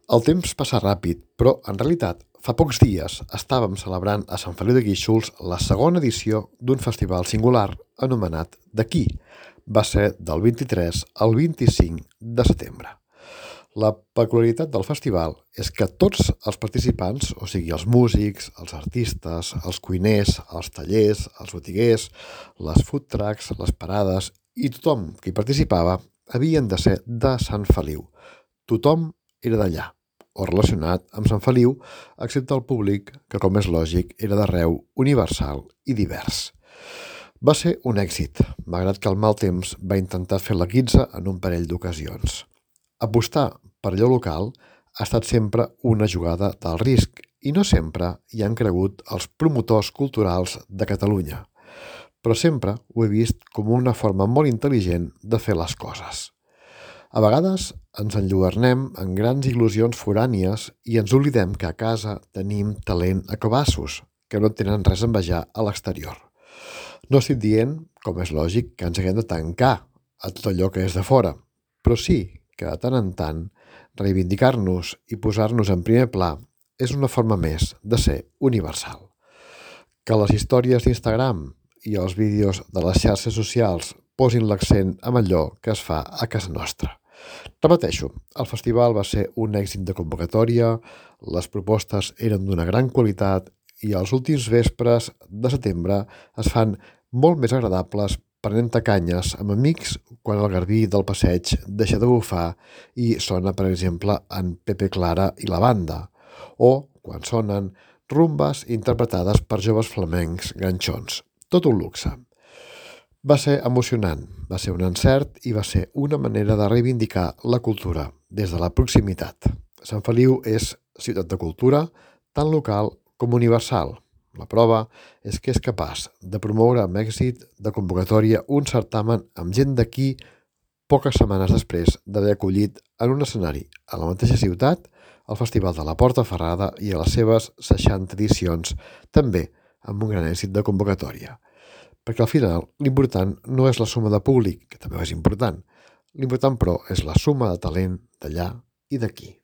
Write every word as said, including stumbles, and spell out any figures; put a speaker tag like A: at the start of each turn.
A: El temps passa ràpid, però en realitat fa pocs dies estàvem celebrant a Sant Feliu de Guíxols la segona edició d'un festival singular anomenat D'aquí. Va ser del vint-i-tres al vint-i-cinc de setembre. La peculiaritat del festival és que tots els participants, o sigui els músics, els artistes, els cuiners, els tallers, els botiguers, les food trucks, les parades i tothom que hi participava havien de ser de Sant Feliu. Tothom era d'allà, o relacionat amb Sant Feliu, excepte el públic, que com és lògic era d'arreu universal i divers. Va ser un èxit, malgrat que el mal temps va intentar fer la guitza en un parell d'ocasions. Apostar per allò local ha estat sempre una jugada d'alt risc i no sempre hi han cregut els promotors culturals de Catalunya. Però sempre ho he vist com una forma molt intel·ligent de fer les coses. A vegades ens enlluernem en grans il·lusions forànies i ens oblidem que a casa tenim talent a cabassos, que no tenen res a envejar a l'exterior. No estic dient, com és lògic, que ens haguem de tancar a tot allò que és de fora, però sí que de tant en tant reivindicar-nos i posar-nos en primer pla és una forma més de ser universal. Que les històries d'Instagram i els vídeos de les xarxes socials posin l'accent en allò que es fa a casa nostra. Repeteixo, el festival va ser un èxit de convocatòria, les propostes eren d'una gran qualitat i els últims vespres de setembre es fan molt més agradables prenent canyes amb amics quan el garbí del passeig deixa de bufar i sona, per exemple, en Pepe Clara i la banda, o quan sonen rumbes interpretades per joves flamencs ganxons. Tot un luxe. Va ser emocionant, va ser un encert i va ser una manera de reivindicar la cultura des de la proximitat. Sant Feliu és ciutat de cultura, tant local com universal. La prova és que és capaç de promoure amb èxit de convocatòria un certamen amb gent d'aquí poques setmanes després d'haver acollit en un escenari a la mateixa ciutat el Festival de la Porta Ferrada i a les seves seixanta edicions, també amb un gran èxit de convocatòria. Perquè al final l'important no és la suma de públic, que també és important. L'important, però, és la suma de talent d'allà i d'aquí.